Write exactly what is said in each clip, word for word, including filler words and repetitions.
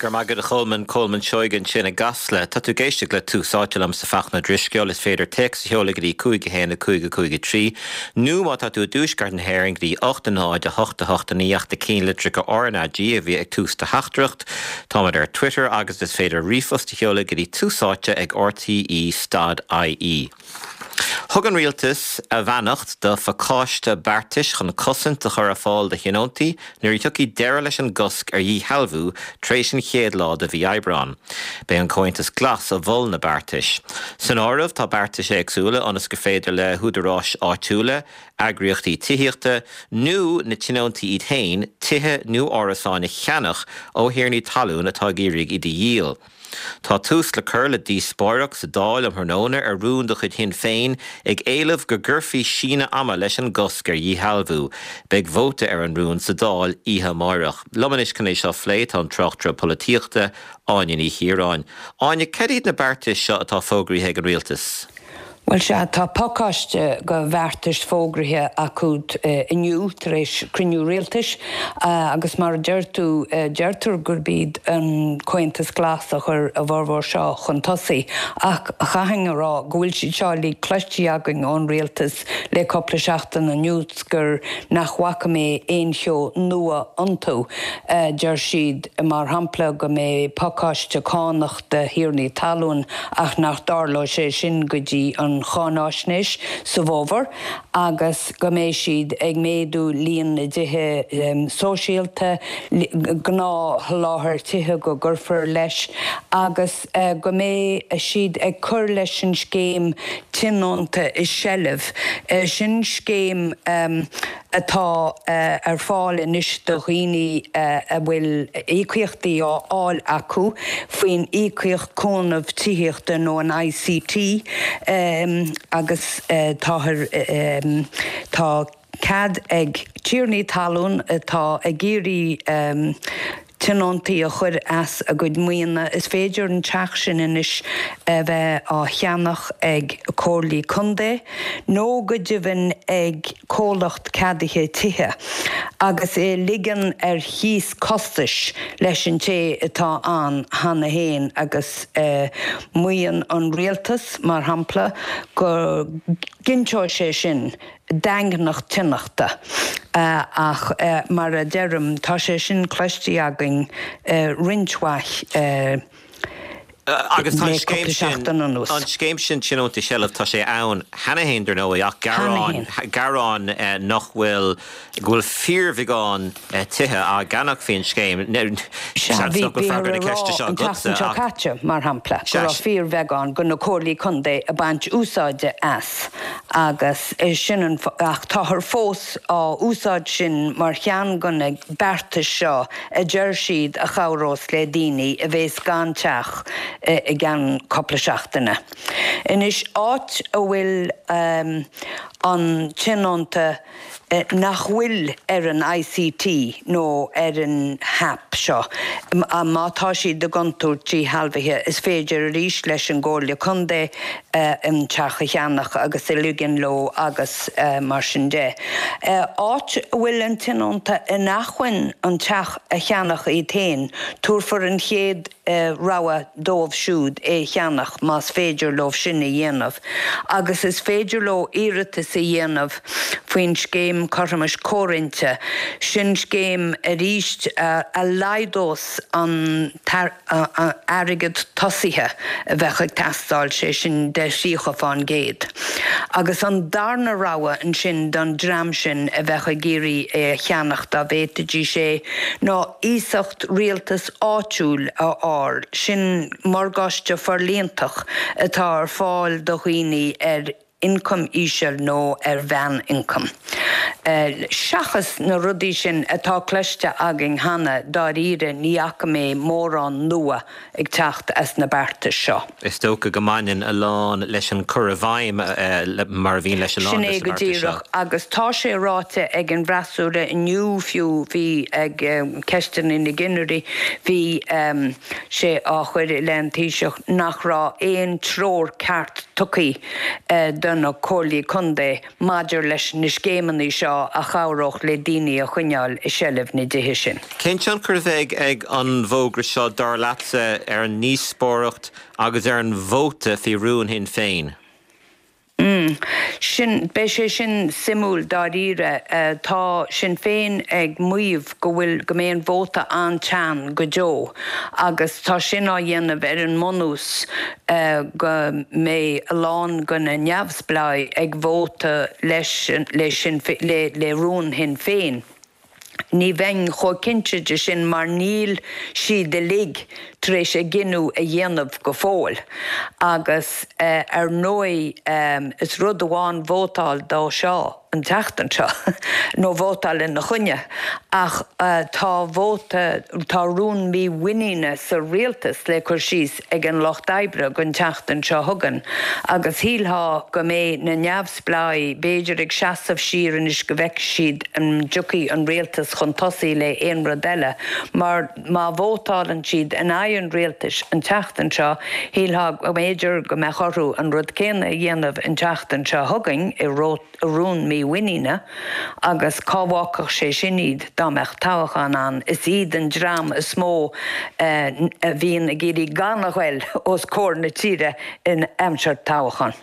Go raibh maith agat, a Cholmáin. Colmán Seoighe ansin i gCasla. Tá tú ag éisteacht le Tús Áite liomsa, Fachtna Ó Drisceoil. Is féidir téacs a sheoladh go dtí cúig a haon a cúig a cúig a trí nó má tá tú i dtuaisceart na hÉireann go dtí ocht a náid a hocht a hocht a naoi ach na ceannlitreacha R N A G a bhí ag tús do theachtaireacht. Táimid ar Twitter agus is féidir ríomhphost a sheoladh go dtí túsáite ag R T E stad I E. Thug an rialtas a bheannacht do phacáiste beartais chun cosaint a chur ar fáil do thionóntaí nuair a thiocfaidh deireadh leis an gcosc ar dhíshealbhú tar éis an chéad lá de mhí Aibreán. B'é an Comhaontas Glas a mhol na beartais. San áireamh tá beartais éagsúla ionas gur féidir le húdaráis áitiúla, eagraíochtaí tithíochta nó na tionóntaí iad féin tithe nó árasáin a cheannach ó thiarnaí talún atá ag iarraidh iad a dhíol. Tá tús le cur le díospóireacht sa Dáil um thráthnóna ar rún de chuid Shinn Féin ag éileamh go gcuirfí síneadh ama leis an gcosc ar dhíshealbhú. Beidh vóta ar an rún sa Dáil oíche amárach. Liom anois chun é seo a phlé tá an tráchtaire polaitíochta Áine Ní Chiaráin. Áine, cad iad na beartais seo atá fógraithe ag an rialtas? Well sea, tá pacáiste de bheartais fógraithe acu inniu tar éis cruinniú rialtais agus mar a deir tú, deirtear gurb iad an Comhaontas Glas a chuir a bhformhór seo chun tosaigh ach chaithfinn a rá go bhfuil siad seo le cloisteáil againn ón rialtas le cúpla seachtain anuas gur nach bhfaca mé aon cheo nua iontu. Deir siad mar shampla go mbeidh pacáiste cánach do thiarnaí talún ach nach dtarlóidh sé sin go dtí an cháinaisnéis sa bhfómhar agus go mbeidh siad ag méadú líon na dtithe sóisialta, gnáthsholáthar tithe go gcuirfear leis agus go mbeidh siad ag cur leis an scéim tionónta i seilbh. Sin scéim atá ar fáil anois do dhaoine a bhfuil íocaíochtaí á fháil acu faoin íocaíocht cúnamh tithíochta nó an I C T agus táthar tá cead ag tiarnaí talún atá ag iarraidh tionóntaí a chur as a gcuid maoine. Is féidir an teach sin anois a bheith á cheannach ag comhairlí contae nó go deimhin ag comhlacht ceadaithe tithe agus é ligean ar chíos costais leis an té atá ann cheana féin agus maíonn an rialtas mar shampla go gcinnteoidh sé sin daingneacht tionachta ach mar a deirim tá sé sin cloiste againn roinnt mhaith Agus tá scéim sin an scéim sin tionónta i seilbh, tá sé ann cheana féin dar ndóigh ach gearán gearán nach bhfuil go bhfuil fíorbheagán tithe á gceannach faoin scéim. Seo caite mar shampla go raibh fíorbheagán de na comhairlí contae ag baint úsáide as agus sin an ach táthar fós á úsáid sin mar cheann de na beartais seo a deir siad a chabhrós le daoine a bheas gan teach i gceann cúpla seachtaine. Anois áit a bhfuil um, an tionónta nach bhfuil ar an I C T nó ar an HAP seo. Má tá siad i gcontúirt díshealbhaithe is féidir arís leis an gcomhairle contae an teach a cheannach agus a ligean leo agus mar sin de. Áit a bhfuil an tionónta in acmhainn an teach a cheannach iad féin, tabharfar an chéad rogha dóibh siúd é cheannach más féidir leo sin a dhéanamh. Agus is féidir leo iarratas a dhéanamh faoin scéim cothromais comhroinnte, sin scéim arís a laghdós an airgead tosaithe a bheadh ag teastáil sé sin de thríocha faoin gcéad. Agus an darna rogha ansin don dream sin a bheadh ag iarraidh é a cheannach dá bhféadfaidís é ná iasacht rialtas áitiúil a fháil, sin morgáiste forlíontach atá ar fáil do dhaoine ar ioncam íseal nó ar mheánioncam. Seachas na rudaí sin atá cloiste againn cheana dáiríre ní fhaca mé mórán nua ag teacht as na beartais seo. Is dócha go mbaineann a lán leis an chur i bhfeidhm mar a bhíonn leis an Sin é go díreach agus tá sé ráite ag an bhfreasúra inniu fiú bhí ag ceisteanna na gcinnirí bhí um, sé á chur le an Taoiseach nach raibh aon treoir ceart tugtha uh, do na comhairlí contae maidir leis na scéimeanna seo a chabhródh le daoine a choinneáil i seilbh na dtithe sin. Cén tionchar a bheidh ag an bhfógra seo dar leatsa ar an ndíospóireacht agus ar an vóta faoi rún Shinn Féin? Mm. Sin beidh sé sin suimiúil dáiríre uh, tá Sinn Féin ag maíomh go bhfuil go mbeidh an vóta an-teann go deo agus tá sin á dhéanamh ar an mbunús uh, go mbeidh a lán de na neamhspleáigh ag vóta leis le sin le, le rún Shinn Féin. Ní bheinn chomh cinnte de sin mar níl siad uilig tar éis a gcinneadh a dhéanamh go fóill. Agus uh, ar ndóigh um, is rud amháin vótáil dó seo an tseachtain seo nó vótáil ina choinne ach uh, tá vóta tá rún mímhuiníne sa rialtas le cur síos ag an Lucht Oibre don tseachtain seo chugainn agus shílfeá go mbeidh na neamhspleáigh b'fhéidir ag seasamh siar anois go bhfeicfidh siad an dtiocfaidh an rialtas chun tosaigh le aon rud eile mar má vótálann siad in aghaidh an rialtais an tseachtain seo shílfeá go mb'fhéidir go mbeadh orthu an rud céanna a dhéanamh an tseachtain seo chugainn i rún mímhuiníne agus cá bhfágfadh sé sin iad dá mbeadh toghchán ann is iad an dream is mó eh, a bhíonn ag iarraidh gan a ghoil os comhair na tíre in aimsir toghchán.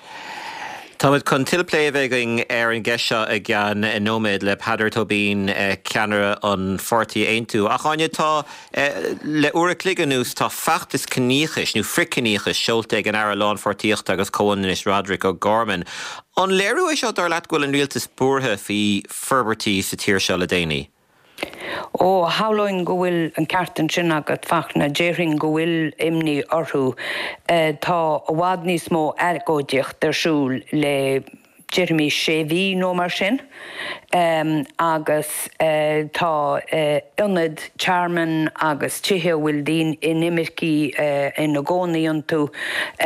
Táimid chun tuilleadh plé a bheith againn ar an gceist seo i gceann nóiméad le Peadar Tóibín eh, ceannaire an pháirtí Aontú. Ach Áine tá eh, le uair an chloig anuas tá feachtas ciníochais nó frithchiníochais seolta ag an Aire Lánpháirtíochta agus Comhionannais Roderick O'Gorman. An léiriú é seo dar leat go bhfuil an rialtas buartha faoi forbairtí sa tír seo le déanaí? Ó shamhlóinn go bhfuil an ceart ansin agat Fachtna déarfainn go bhfuil imní orthu eh, tá i bhfad níos mó agóidíocht ar siúl le déarfaimis sé mhí nó mar sin. Um, agus uh, tá uh, ionaid tearmainn agus tithe bhfuil daoine inimircigh uh, ina gcónaí iontu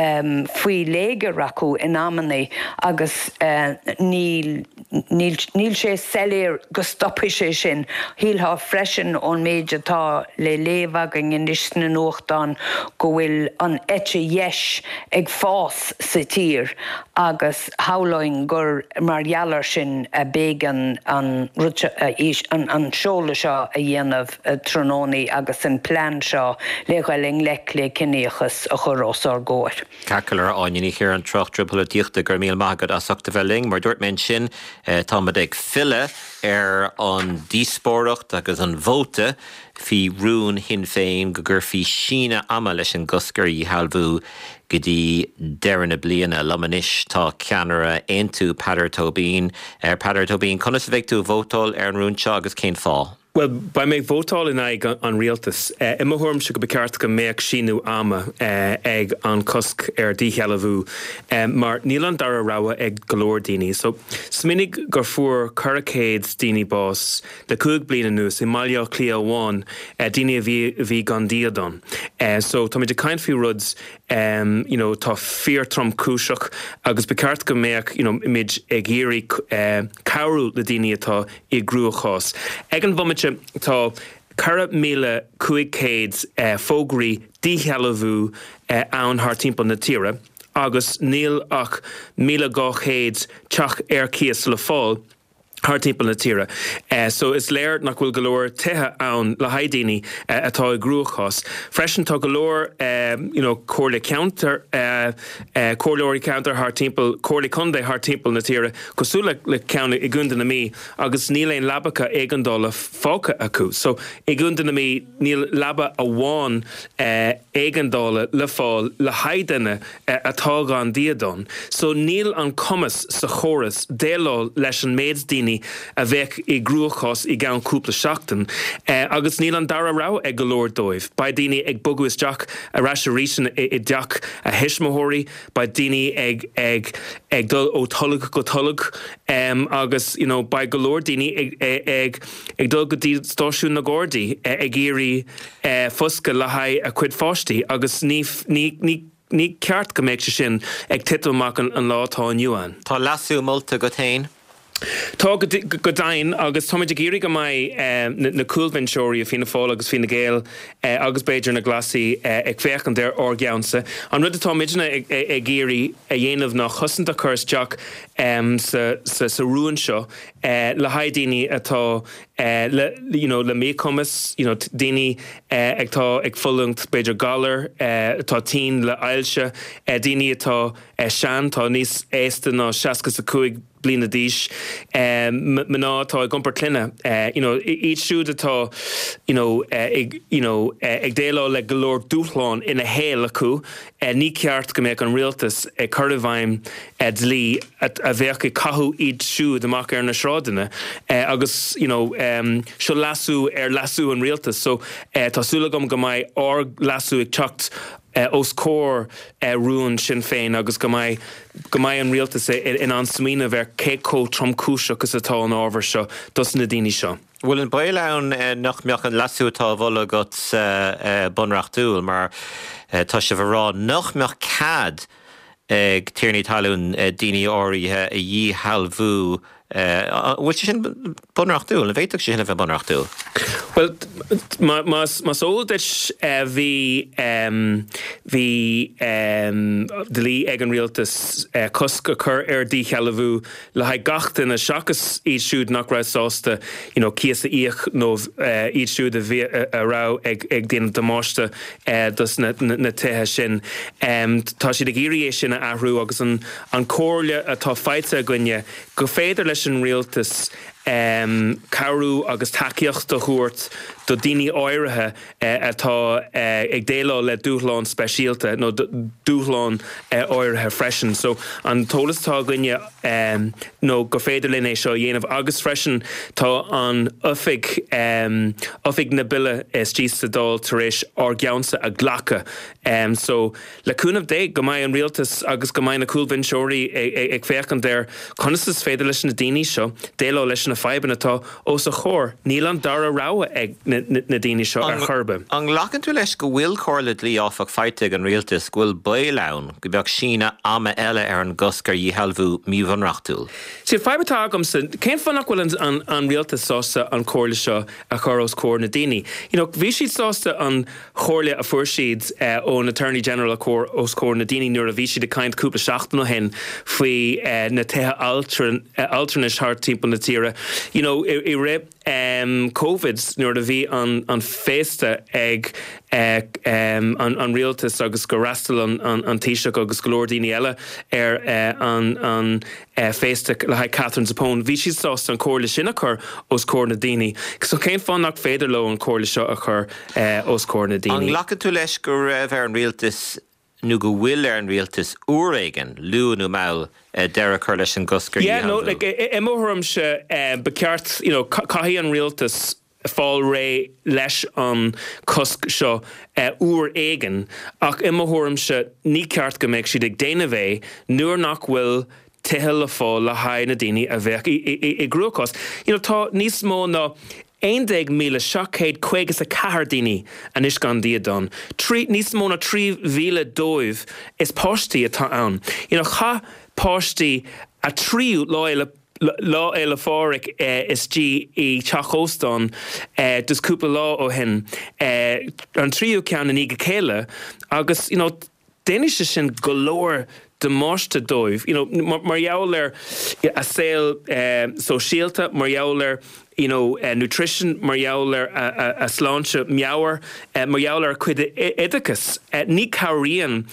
um, faoi léigear acu in amanna agus uh, níl níl, níl sé soiléir go stopfaidh sé sin. Shílfeá freisin ón méid atá le léamh againn anois sna nuachtáin go bhfuil an eite dheis ag fás sa tír agus shamhlóinn gur mar gheall air sin a b'éigean an, an, an seoladh seo a dhéanamh tráthnóna agus an plean seo le dhul i ngleic le ciníochas a chur os ár gcomhair. Ceacair Áine Ní Chiaráin tráchtaire polaitíochta go raibh míle maith agat as ucht a bheith linn, mar dúirt mé sin táimid ag filleadh ar an díospóireacht agus an vóta faoi rún Shinn Féin go gcuirfí síneadh ama leis an gcosc ar dhíshealbhú go dtí deireadh na bliana liom anois tá ceannaire Aontú Peadar Tóibín ar Peadar Tóibín conas a bheidh tú ag vótáil ar an rún seo agus cén fáth. Well, beidh mé ag vótáil in aghaidh an rialtas. Uh, I mo thuairimse go ba cheart go mbeadh síneadh ama uh, ag an cosc ar díshealbhú um, mar níl an dara rogha ag go leor daoine. So smaoinigh gur fuair ceithre chéad daoine bás le cúig bliana anuas i mBaile Átha Cliath amháin uh, daoine a bhí bhí gan dídean. Uh, so tá muid ag caint faoi rud um, you know, tá fíor tromchúiseach agus ba cheart go mbeadh you know, muid ag iarraidh uh, cabhrú le daoine atá i gcruachás. Ag an bhomaite tá ceithre míle cúig chéad eh, fógraí díshealbhú eh, ann thar timpeall na tíre, agus níl ach míle dhá chéad teach ar cíos le fáil thar timpeall na tíre. Uh, so is léir nach bhfuil go leor tithe ann le haghaidh daoine uh, atá i gcruachás. Freisin tá go leor um, you know, comhairle ceantar uh, uh, comhairleoirí ceantar thar timpeall comhairlí contae thar timpeall na tíre cosúil le, le ceann i gContae na Mí agus níl aon leapacha éigeandála fágtha acu. So i gContae na Mí níl leaba amháin uh, éigeandála le fáil le haghaidh duine uh, atá gan dídean. So níl an cumas sa chóras déileáil leis an méid daoine a bheith i gcruachás i gceann cúpla seachtain, eh, agus níl an dara rogha ag go leor dóibh. Beidh daoine ag bogadh isteach arís arís i, i dteach a thuismitheoirí, beidh daoine ag, ag, ag dul ó tholg go tolg um, agus you know, beidh go leor daoine ag, ag, ag, ag dul go dtí stáisiún na Gardaí ag iarraidh eh, foscadh le haghaidh a cuid pháistí agus ní, ní, ní ní ceart go mbeadh sé sin ag titim amach an, an lá atá inniu ann. Tá leasú molta agat féin? Tá go deimhin agus táimid ag iarraidh go mbeidh na cúlbhinseoirí i Fianna Fáil agus Fine Gael agus b'fhéidir na Glasaigh ag féachaint ar ár gceannsa. An rud atá muidne ag iarraidh a dhéanamh ná cosaint a chur isteach sa rún seo le haghaidh daoine atá le you know le míchumas, you know daoine atá ag fulaingt b'fhéidir galar, atá tinn le ailse, daoine atá sean, tá níos aosta ná seasca is a cúig bliana d'aois, mná atá ag iompar clainne, you know, iad siúd atá, you know, ag, you know, ag déileáil le go leor dúshlán ina shaol acu, ní ceart go mbeadh an rialtas ag cur i bhfeidhm dlí a bheadh ag caitheamh iad siúd amach ar na sráideanna agus, you know, seo leasú ar leasú an rialtais so tá súil agam go mbeidh ár leasú ag teacht os comhair rún Sinn Féin agus go mbeidh go mbeidh an rialtas in ann smaoineamh ar cé chomh tromchúiseach is atá an ábhar seo dos na daoine seo. Bhfuil an baol ann nach mbeadh an leasú atá á mholadh agat bunreachtúil mar tá sibh a rá nach mbeadh cead ag tiarnaí talún daoine áirithe a dhíshealbhú An bhfuil sé sin bunreachtúil? An bhféadfadh sé sin a bheith bunreachtúil? Bhuel, más eol duit bhí bhí dlí ag an rialtas cosc a chur ar dhíshealbhú le haghaidh gach duine seachas iad siúd nach raibh sásta you know cíos a íoc nó iad siúd a bhí a raibh ag ag déanamh damáiste dos na na tithe sin. Tá siad ag iarraidh é sin a athrú agus an an comhairle atá faighte againne go féidir leis an rialtas cabhrú agus tacaíocht a thabhairt do daoine áirithe atá ag déileáil le dúshlán speisialta nó dúshlán áirithe freisin. So an t-eolas atá againne nó gur féidir linn é seo a dhéanamh agus freisin tá an oifig, oifig na Bille istigh sa Dáil tar éis ár gceannsa a ghlacadh. So le cúnamh Dé go mbeidh an rialtas agus go mbeidh na cúlbhinseoirí ag féachaint ar conas is féidir leis na daoine seo déileáil leis na fadhbanna atá os a chomhair. Níl an dara rogha ag na daoine seo ar chor ar bith. An nglacann tú leis go bhfuil comhairle dlí áfach faighte ag an rialtas go bhfuil baol ann go mbeadh síneadh ama eile ar an gcosc ar dhíshealbhú míbhunreachtúil? Sea, fadhb atá agamsa, cén fáth nach bhfuil an rialtas sásta an chomhairle seo a chur os comhair na daoine? You know, bhí siad sásta an chomhairle a fuair siad ón Attorney General a chur os comhair na daoine nuair a bhí siad ag caint cúpla seachtain ó shin faoi na tithe altranais thart timpeall na tíre. You know, i rith Covid nuair a bhí an an féasta ag an an rialtas agus gur fhreastail an an Taoiseach agus go leor daoine eile ar an an féasta le haghaidh Catherine Zappone, bhí siad sásta an chomhairle sin a chur os comhair na daoine. So cén fáth nach féidir leo an chomhairle seo a chur os comhair na daoine? An nglacann tú leis go raibh ar an rialtas nó go bhfuil ar an rialtas uair éigin, luath nó mall, deireadh a chur leis an gcosc ar Yeah, no, like, i mo thuairimse, ba cheart, you know, caithfidh an rialtas fáil réidh leis an cosc seo uair éigin, ach i mo thuairimse ní ceart go mbeadh siad ag déanamh é nuair nach bhfuil tithe le fáil le haghaidh na daoine a bheadh i gcruachás. You know, tá níos mó ná aon déag míle seacht gcéad caoga is a ceathair daoine anois gan dídean. Trí, níos mó ná trí mhíle dóibh is páistí atá ann. You know, chaith páistí a tríú Lá Fhéile Lá Fhéile Phádraig istigh i teach óstáin just cúpla lá ó shin, an tríú ceann i ndiaidh a chéile agus you know, déanfaidh sé sin go leor damáiste dóibh, you know, mar gheall ar a saol sóisialta, mar gheall ar you know, nutrition, mar gheall ar a sláinte meabhair, mar gheall ar a cuid oideachais. Ní cabhraíonn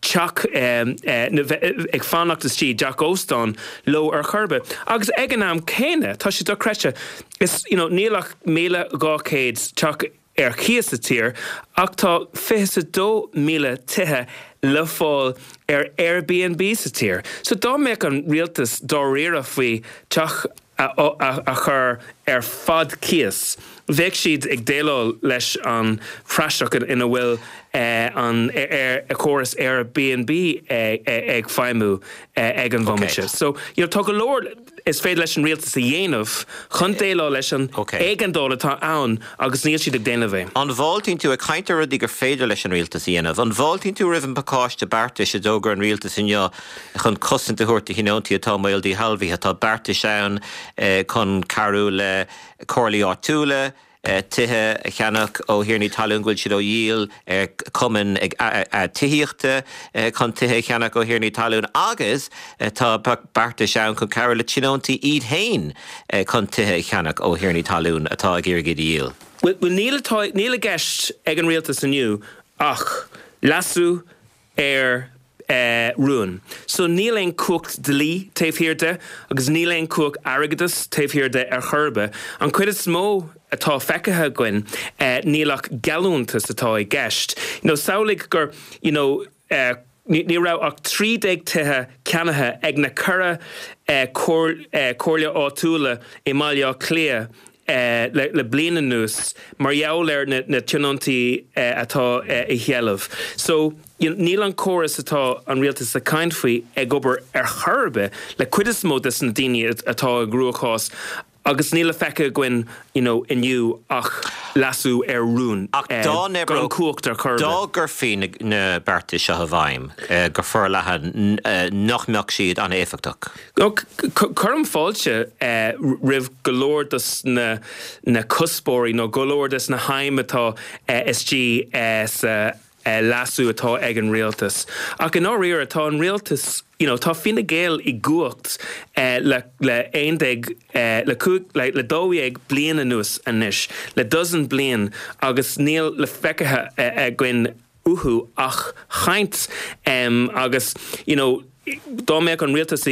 teach ag fanacht istigh i dteach óstáin leo ar chor ar bith. Agus ag an am céanna, tá sé dochreidte, is, you know, níl ach míle dhá chéad teach ar cíos sa tír ach tá fiche is a dó míle tithe le fáil ar Airbnb sa tír. So dá mbeadh an rialtas dáiríre faoi teach a chur ar fad cíos, bheadh siad ag déileáil leis an phraiseach ina bhfuil an ar chóras Airbnb ag feidhmiú ag an bhomaite. So you know, tá go leor is féidir leis an rialtas a dhéanamh chun déileáil leis an éigeandáil atá ann agus níl siad ag déanamh é. An bhfáiltíonn tú ag caint ar rudaí gur féidir leis an rialtas a dhéanamh? An bhfáiltíonn tú roimh an bpacáiste beartais a d'fhógair an rialtas inniu chun cosaint a thabhairt do thionóntaí atá i mbaol díshealbhaithe? Tá beartais ann chun cabhrú le comhairlí áitiúla, tithe a cheannach ó thiarnaí talún go bhfuil siad á dhíol, cumainn tithíochta chun tithe a cheannach ó thiarnaí talún agus tá beartais ann chun cabhrú le tionóntaí iad féin chun tithe a cheannach ó thiarnaí talún atá ag iarraidh iad a dhíol. Bhuel, níl níl i gceist ag an rialtas inniu ach leasú ar rún. So níl aon cumhacht dlí taobh thiar de agus níl aon cumhacht airgeadais taobh thiar de ar chor ar bith. An cuid is mó atá feicthe againn níl ach geallúntas atá i gceist. You know, samhlaigh gur you know, ní raibh ach trí déag tithe ceannaithe ag na ceithre comhairle áitiúla i mBaile Átha Cliath le bliain anuas mar gheall ar na tionóntaí atá i sheilbh. So níl an córas atá an rialtas ag caint faoi ag obair ar chor ar bith le cuid is mó de na daoine atá i gcruachás agus níl le feiceáil againn you know, inniu ach leasú ar rún Ach dá gan cumhacht ar chor ar dá bith. gcuirfí na beartais seo i bhfeidhm go forleathan nach mbeadh siad an-éifeachtach? Cuirim fáilte roimh go leor dos na na cuspóirí nó go leor des na haidhm atá istigh sa leasú atá ag an rialtas. Ach i ndáiríre tá an rialtas you know, tá Fine Gael i gcumhacht le le aon déag le cúig le le dó dhéag bliain anuas anois, le dozen bliain agus níl le feicthe againn uathu ach caint agus you know, dá mbeadh an rialtas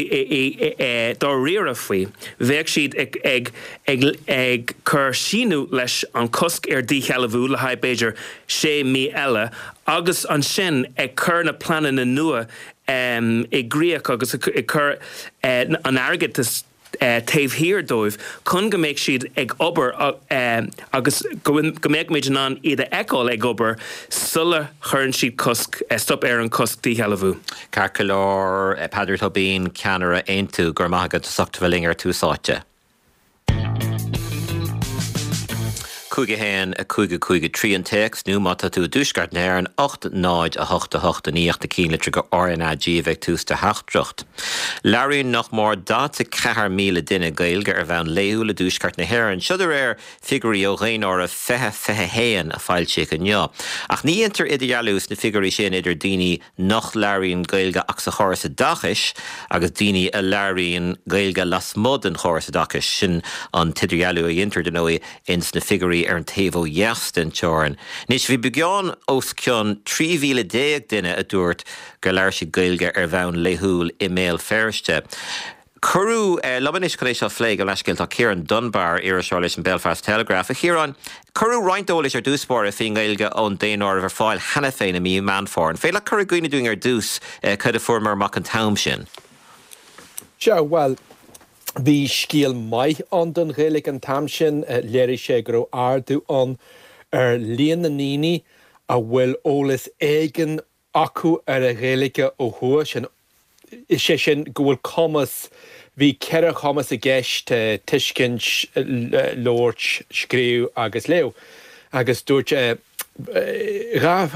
dáiríre faoi, bheadh siad ag ag ag ag cur síneadh leis an cosc ar díshealbhú le haghaidh b'fhéidir sé mí eile agus ansin ag cur na pleananna nua i gcrích agus ag cur an airgeadais taobh thiar dóibh chun go mbeadh siad ag obair agus go mbeadh muid in ann iad a fheiceáil ag obair sula chuireann siad cosc, stop ar an cosc díshealbhú. Ceart go leor, Peadar Tóibín, ceannaire Aontú, go raibh maith agat as ucht a bheith linn ar Tús Áite. cúig a haon a cúig a cúig a trí an téacs nó má tá tú i dtuaisceart na hÉireann, ocht náid a hocht a hocht a naoi ach na cinnlitreacha RnaG a bheith ag tús do theachtaireacht. Labhraíonn nach mór daichead a ceathair míle duine Gaeilge ar bhonn laethúil i dtuaisceart na hÉireann, seo de réir figiúirí ó Dhaonáireamh fiche fiche haon a foilsíodh inniu. Ach ní dhéantar idirdhealú sna figiúirí sin idir daoine nach labhraíonn Gaeilge ach sa chóras oideachais agus daoine a labhraíonn Gaeilge lasmuigh den chóras oideachais. Sin an t-idirdhealú a dhéantar, dar ndóigh, ins na figiúirí ar an taobh ó dheas den teorainn. Anois, bhí beagán os cionn trí mhíle déag duine a dúirt gur labhair siad Gaeilge ar bhonn laethúil i mBéal Feirste. Cuireadh liom anois chun é seo a phlé, gabh mo leithscéal, tá Ciarán Dunbar, iriseoir leis an Belfast Telegraph. A Chiaráin, cuireadh roinnt eolais ar dtús báire faoin nGaeilge ón daonáireamh ar fáil cheana féin i mí Meán Fómhair. An féidir leat cur i gcuimhne dúinn ar dtús cad a fuaireamar amach an t-am sin? Sea, bhuel, Bhí scéal maith ann don Ghaeilge an t-am sin. Léirigh sé go raibh ardú ann ar líon na ndaoine a bhfuil eolas éigin acu ar an Ghaeilge ó thuaidh, sin, is é sin go bhfuil cumas, bhí ceithre chumas i gceist, tuiscint, labhairt, scríobh agus léamh, agus dúirt dhá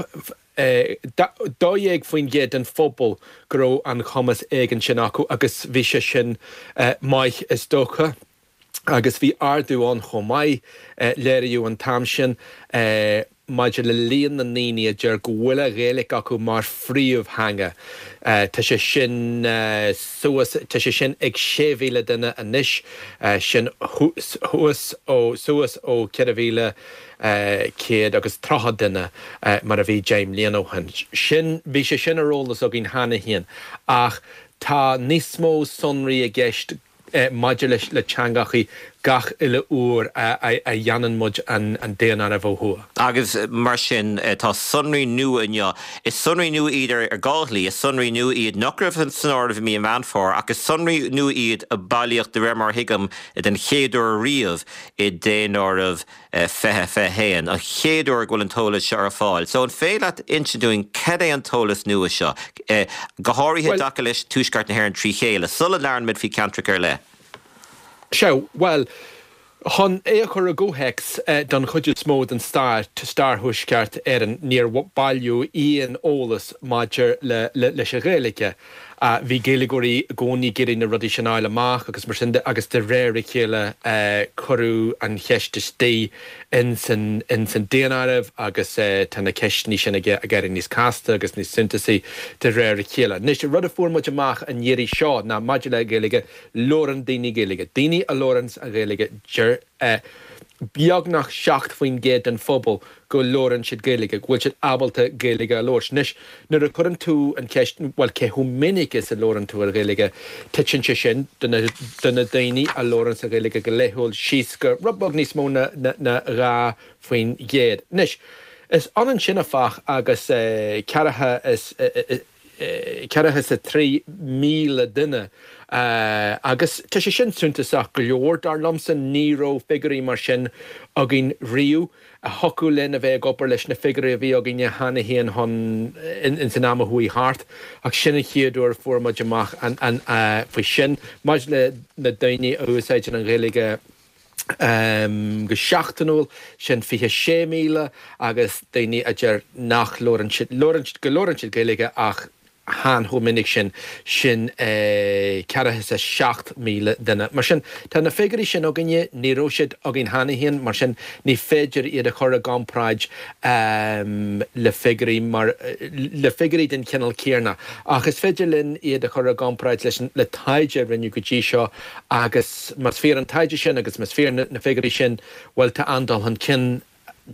dó dhéag faoin gcéad den phobal go raibh an cumas éigin sin acu agus bhí sé sin maith is dócha. Agus bhí ardú ann chomh maith, léiríodh an t-am sin, maidir le líon na ndaoine a deir go bhfuil an Ghaeilge acu mar phríomhtheanga. Tá sé sin suas, tá sé sin ag sé mhíle duine anois, sin thuas ó, suas ó ceithre mhíle céad agus tríocha duine mar a bhí deich mbliana ó shin. Sin, bhí sé sin ar eolas againn cheana féin ach tá níos mó sonraí i gceist maidir leis le teangachaí gach uile uair a dhéanann muid an daonáireamh ó thuaidh. Agus mar sin tá sonraí nua inniu. Is sonraí nua iad ar dhá shlí, is sonraí nua iad nach raibh san áireamh i mí an Mheán Fómhair ach is sonraí nua iad a bailíodh de réir mar a thuigim den chéad uair riamh i daonáireamh fiche fiche haon, an chéad uair go bhfuil an t-eolas seo ar fáil. So an féidir leat insint dúinn cad é an t-eolas nua seo, go háirithe i dtaca leis Tuaisceart na hÉireann trí chéile, sula labhrann muid faoi cheantracha ar leith? Sea, bhuel, chun é a chur i gcomhthéacs, don chuid is mó den stair, stair Thuaisceart Éireann, níor bailíodh aon eolas maidir leis an Ghaeilge. Bhí Gaeilgeoirí i gcónaí ag iarraidh na rudaí sin a fháil amach agus mar sin de agus de réir a chéile cuireadh an cheist istigh ins an daonáireamh agus tá na ceisteanna sin ag éirí níos casta agus níos suntasaí de réir a chéile. Anois, rud a fuair muid amach an iarraidh seo ná maidir le Gaeilge, labhrann daoine Gaeilge. Daoine a labhranns an Ghaeilge, deir beagnach seacht faoin gcéad den phobal go labhrann siad Gaeilge, go bhfuil siad ábalta Gaeilge a labhairt. Anois, nuair a chuireann tú an cheist, bhuel, cé chomh minic is a labhrann tú an Ghaeilge, titeann sé sin do na, do na daoine a labhranns an Ghaeilge go laethúil síos go rud beag níos mó ná, ná dhá faoin gcéad. Anois, is ionann sin, áfach, agus ceathracha is, ceathracha is a trí míle duine agus tá sé sin suntasach go leor, dar liomsa. Ní raibh figiúirí mar sin againn riamh. Thiocfadh linn a bheith ag obair leis na figiúirí a bhí againne cheana féin chun ins an am a chuaigh thart ach sin an chéad uair a fuair muid amach faoi sin. Maidir le na daoine a úsáideann an Ghaeilge, go seachtainiúil, sin fiche sé míle agus daoine a deir nach labhrann siad, labhrann siad, go labhrann siad Gaeilge ach chan chomh minic sin, sin ceathracha is a seacht míle duine. Mar sin, tá na figiúirí sin againne, ní raibh siad againn cheana féin, mar sin ní féidir iad a chur i gcomparáid le figiúirí mar, le figiúirí den chineál céanna. Ach is féidir linn iad a chur i gcomparáid leis an, le taighde a rinneadh go dtí seo Agus más fíor an taighde sin agus más fíor na figiúirí sin, bhuel, tá an-dul chun cinn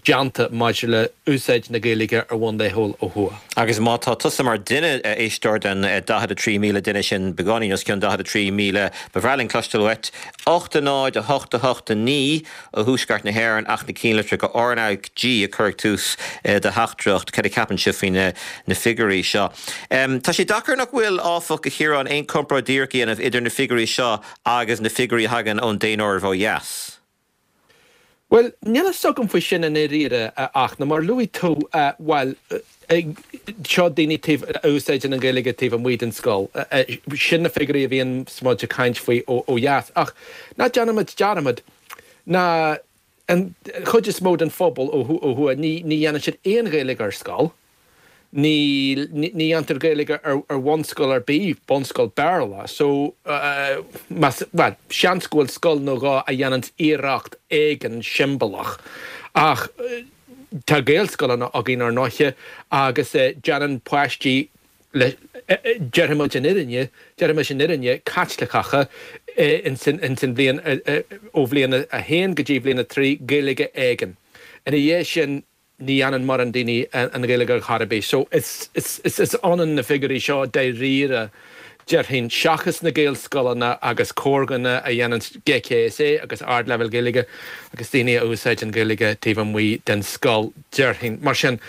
déanta maidir le úsáid na Gaeilge ar bhonn laethúil ó thuaidh. Agus má tá tusa mar duine, a éisteoir, den daichead a trí míle duine sin, beagáinín os cionn daichead a trí míle, ba bhreá linn cloisteáil uait. ocht a náid, a hocht, a hocht, a naoi ó thuaisceart na hÉireann ach na cinnlitreacha RnaG a chur ag tús do theachtaireacht. Cad a cheapann sibh faoi na figiúirí seo? Tá sé deacair nach bhfuil, áfach, a Chiaráin, aon chomparáid dhíreach a dhéanamh idir na figiúirí seo agus na figiúirí a thagann ón daonáireamh ó dheas. Bhuel, níl a fhios agam faoi sin i ndáiríre, a Fhachtna. Mar a luaigh tú, bhuel, seo daoine taobh, a úsáideann an Ghaeilge taobh amuigh den scoil. Sin na figiúirí a bhíonn muid ag caint faoi ó dheas. Ach ná déanaimid dearmad ná an chuid is mó den phobal ó thuaidh, ní dhéanann siad aon Ghaeilge ar scoil. Ní ní dhéantar Gaeilge ar ar bhunscoil ar bith, bunscoil Béarla, so más, bhuel, seans go bhfuil scoil nó dhó a dhéananns iarracht éigin siombalach ach tá Gaelscoileanna againn ar ndóiche agus déanann páistí le, déarfaimid an fhírinne, déarfaimis an fhírinne, Caitliceacha ins an ins an bhliain, ó bhliain a haon go dtí bhliain a trí, Gaeilge éigin. Ina dhiaidh sin, ní dhéanann mórán daoine an Ghaeilge ar chor ar bith. So is is ionann na figiúirí seo dáiríre, déarfainn, seachas na Gaelscoileanna agus corrdhuine a dhéanann GCSE agus ardleibhéal Gaeilge agus daoine a úsáideann Gaeilge taobh amuigh den scoil, déarfainn. Mar sin,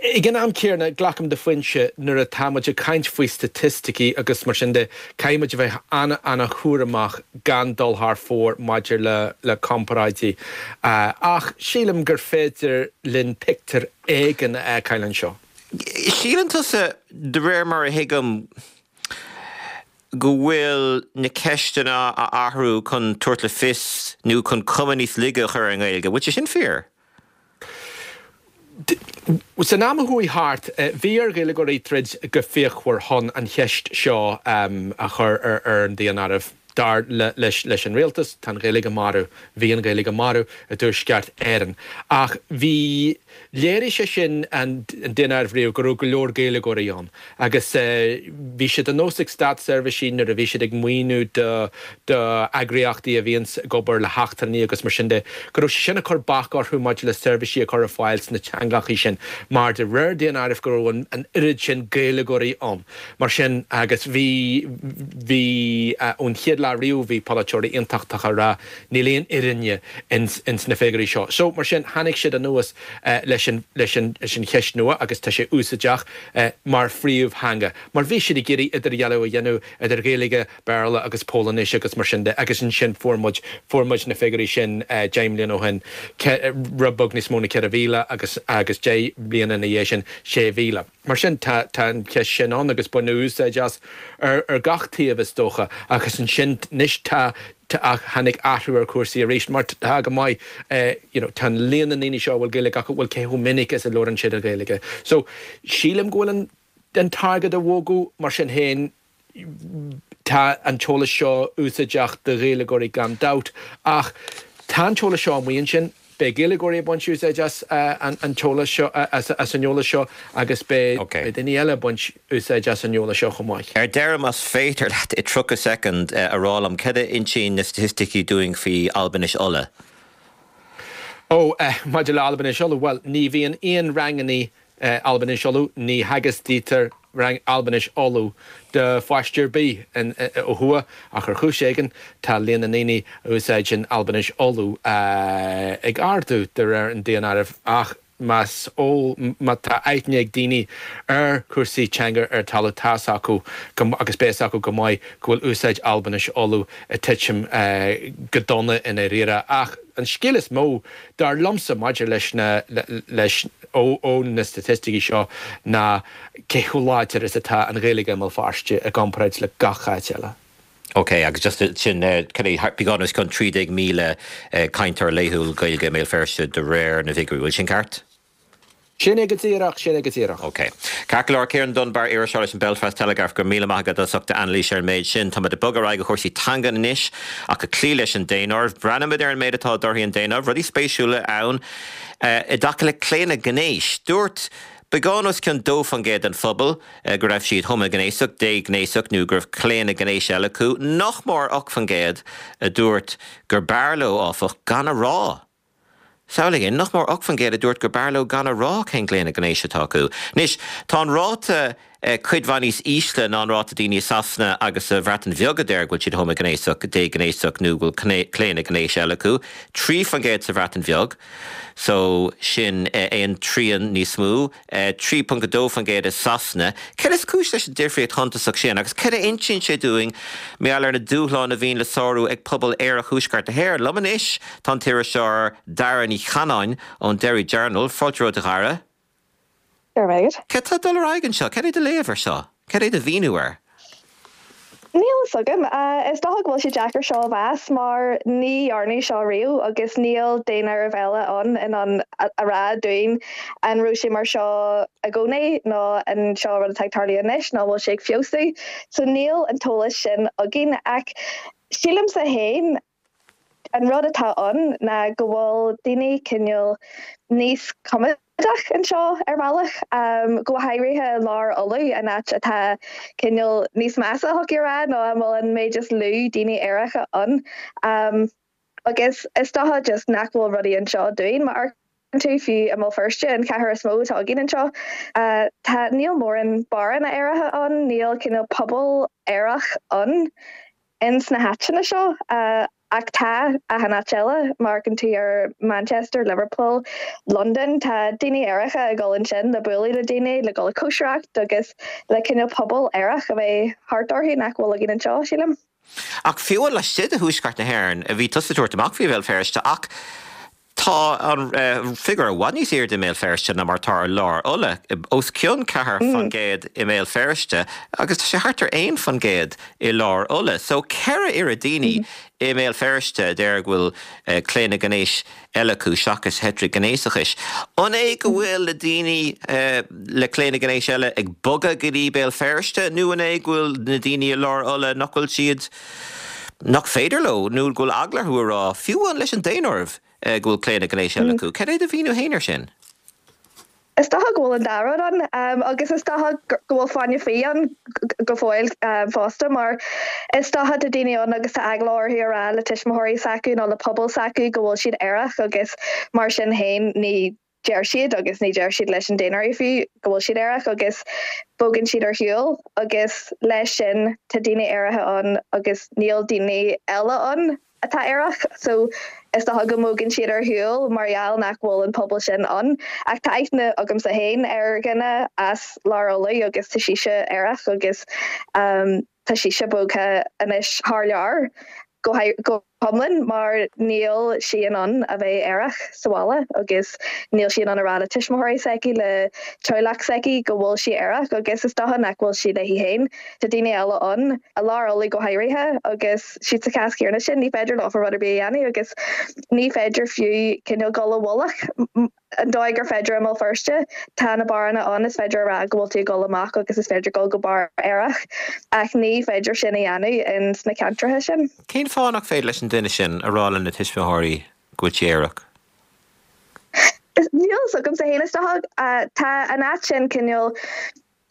Ag an am céanna, glacaim do phointe, nuair atá muid ag caint faoi staitisticí agus mar sin de, caithfidh muid a bheith an-an-chúramach gan dul thar fóir maidir le le comparáidí. Ach sílim gur féidir linn pictiúr éigin a fheiceáil anseo. Síleann tusa, de réir mar a thuigim, go bhfuil na ceisteanna á athrú chun tabhairt le fios nó chun cuma níos laige a chur ar an nGaeilge. Bhfuil sé sin fíor? San am a chuaigh thart, bhí ar Ghaeilgeoirí troid go fíochmhar chun an cheist seo a chur ar an daonáireamh. Dar leis an rialtas, tá an Ghaeilge marbh. Bhí an Ghaeilge marbh i dTuaisceart Éireann. Ach bhí, léirigh sé sin an daonáireamh riamh go raibh go leor Gaeilgeoirí ann. Agus bhí sé de nós ag státseirbhísigh nuair a bhí siad ag maoiniú do d'eagraíochtaí a bhíonns ag obair le heachtrannaigh agus mar sin de, go raibh sé sin ag cur bac orthu maidir le seirbhísí a chur ar fáil sna teangachaí sin mar de réir daonáirimh go raibh an oiread sin Gaeilgeoirí ann mar sin agus bhí bhí ón chéad lá lá riamh bhí polaiteoirí aontachtacha ag rá níl aon fhírinne ins ins na figiúirí seo. So mar sin tháinig siad anuas leis an leis an leis an cheist nua agus tá sé úsáideach mar phríomhtheanga. Mar bhí siad ag iarraidh idirdhealú a dhéanamh idir Ghaeilge, Béarla agus Polainnis agus mar sin de agus ansin fuair muid fuair muid na figiúirí sin deich mbliana ó shin rud beag níos mó ná ceithre mhíle agus agus deich mbliana ina dhiaidh sin sé mhíle. Mar sin tá tá an cheist sin ann agus baineadh úsáid as ar ar gach taobh is dócha agus ansin anois tá ach tháinig athrú ar chúrsaí arís mar tá go maith you know tá líon na ndaoine seo a bhfuil Gaeilge acu bhuel cé chomh minic is a labhrann siad an Ghaeilge. So sílim go bhfuil an an t-airgead á bhogadh mar sin féin tá an t-eolas seo úsáideach do Ghaeilgeoirí gan dabht ach tá an t-eolas seo amuigh ansin beidh Gaeilgeoirí ag baint úsáid as an t-eolas seo as an eolas seo agus beidh daoine eile ag baint úsáid as an eolas seo chomh maith. Ar deireadh, más féidir leat i tríocha soicind a rá liom, cad a insíonn na staitisticí dúinn faoi Albainis Uladh? Ó, maidir le Albainis Uladh, bhuel, ní bhíonn aon ranganna Albainis Uladh, ní theagasctar Albainis Uladh do pháiste ar bith ó thuaidh ach ar chúis éigin tá líon na ndaoine a úsáideann Albainis Uladh ag ardú de réir an daonáirimh ach más eol má tá aithne ag daoine ar chúrsaí teanga ar talamh tá's acu agus beidh 'fhios acu go maith go bhfuil úsáid Albainis Uladh ag titim go dona i ndáiríre ach an scéal is mó dar liomsa maidir leis na leis ó na staitisticí seo ná cé chomh láidir is atá an Ghaeilge i mBéal Feirste i gcomparáid le gach áit eile. Ok, agus just sin beagán os cionn trí déag míle cainteoir laethúil Gaeilge i mBéal Feirste de réir na bhfigiúirí, bhfuil sin ceart? Sin é go díreach, sin é go díreach. Ok. Ceart go leor, Ciarán Dunbar, iriseoir leis an Belfast Telegraph, go raibh míle maith agat as ucht d'anailís ar an méid sin. Táimid ag bogadh ar aghaidh go cúrsaí teanga anois ach ag cloí leis an daonáireamh. Breathnaímid ar an méid atá i dtorthaí an daonáirimh, rudaí spéisiúla ann i dtaca le claonadh gnéis. Dúirt beagán os cionn dó faoin gcéad den phobal go raibh siad homaighnéasach, déghnéasach nó go raibh claonadh gnéis eile acu. Nach mór ocht faoin gcéad a dúirt gur b'fhearr leo, áfach, gan a rá. Samhlaigh é, nach mór ocht faoin gcéad a dúirt gur b'fhearr leo gan a rá cén claonadh gnéis atá acu. Anois, tá an ráta cuid mhaith níos ísle ná an ráta daoine i Sasana agus sa Bhreatain Bheag a deir go bhfuil siad homaighnéasach, déghnéasach nó go bhfuil claonadh gnéis eile acu, trí faoin gcéad sa Bhreatain Bheag, so sin aon trian níos mó, trí ponc a dó faoin gcéad i Sasana. Céard is cúis leis an difríocht shuntasach sin agus céard a insíonn sé dúinn mar gheall ar na dúshláin a bhíonn le sárú ag pobal aerach Thuaisceart na hÉireann? Liom anois tá an t-iriseoir Dara Ní Chanáin ón Derry Journal. Fáilte romhat, a Dhara. Go raibh maith agat. Céard tá ag dul ar aghaidh anseo? Céard é do léamh air seo? Céard é do mhíniú air? Níl a fhios agam. Is dócha go bhfuil sé deacair seo a mheas mar ní dhearnadh seo riamh agus níl daonáireamh eile ann in ann a rá dúinn an raibh sé mar seo i gcónaí nó an seo rud atá ag tarlú anois nó an bhfuil sé ag feabhsú. So níl an t-eolas sin againn ach sílimse féin An rud atá ann ná go bhfuil daoine cineál níos coimeádach anseo ar bhealach, go háirithe i lár Uladh, an áit atá cineál níos measa, thiocfadh a rá, nó a bhfuil an méid is lú daoine aeracha ann. Agus is dócha just nach bhfuil rudaí anseo dúinn. Má amharcann tú fiú i mBéal Feirste, an chathair is mó atá againn anseo, tá, níl mórán barranna aeracha ann, níl cineál pobal aerach ann. ins na háiteanna seo ach tá achan áit eile, má amharcann tú ar Manchester, Liverpool, Londain, tá daoine aeracha ag dul ansin le bualadh le daoine, le dul ag cóisireacht agus le cineál pobal aerach a bheith thart orthu nach bhfuil againn anseo, sílim. Ach fiú laistigh de Thuaisceart na hÉireann, bhí tusa ag tabhairt amach faoi Bhéal Feirste ach tá an figiúr i bhfad níos airde i mBéal Feirste ná mar atá i lár Uladh, os cionn ceathair faoin gcéad i mBéal Feirste agus tá sé thart ar aon faoin gcéad i lár Uladh. So ceithre oiread daoine i mBéal Feirste a deir go bhfuil claonadh gnéis eile acu seachas heitrighnéasachas. An é go bhfuil na daoine le claonadh gnéis eile ag bogadh go dtí Béal Feirste nó an é go bhfuil na daoine i lár Uladh nach bhfuil siad, nach féidir leo nó go bhfuil eagla orthu a rá, fiú amháin leis an daonáireamh, go bhfuil claonadh gnéis eile acu. Cad é do mhíniú féin air sin? Is dócha go bhfuil an dá rud ann agus is dócha go bhfuil fáinne fí ann go fóill fosta mar is dócha tá daoine ann agus tá eagla orthu a rá le tuismitheoirí s'acu nó le pobal s'acu go bhfuil siad aerach agus mar sin féin ní deir siad agus ní deir siad leis an daonáireamh fiú go bhfuil siad aerach agus bogann siad ar shiúl agus leis sin tá daoine aeracha ann agus níl daoine eile ann atá aerach so is dócha go mbogann siad ar shiúl mar gheall nach bhfuil an pobal sin ann ach tá aithne agamsa féin ar dhuine as Lár Uladh agus tá sise aerach agus um, tá sise bogtha anois thar lear go go hiomlán mar níl sí in ann a bheith aerach sa bhaile agus níl sí in ann a rá le tuismitheoirí s'aici le teaghlach s'aici go bhfuil sí aerach agus is dócha nach bhfuil sí léi féin. Tá daoine eile ann i Lár Uladh go háirithe agus siad sa chás céanna sin ní féidir leo rud ar bith a dhéanamh agus ní féidir fiú cineál dul i bhfolach an dóigh gur féidir i mBéal Feirste tá na beáranna ann is féidir a rá go bhfuil tú ag dul amach agus is féidir dul go beár aerach ach ní féidir sin a dhéanamh in sna ceantracha sin. Cén fáth nach féidir leis an duine sin a rá lena tuismitheoirí go bhfuil sí aerach? Níl a fhios agamsa féin is dócha tá an áit sin cineál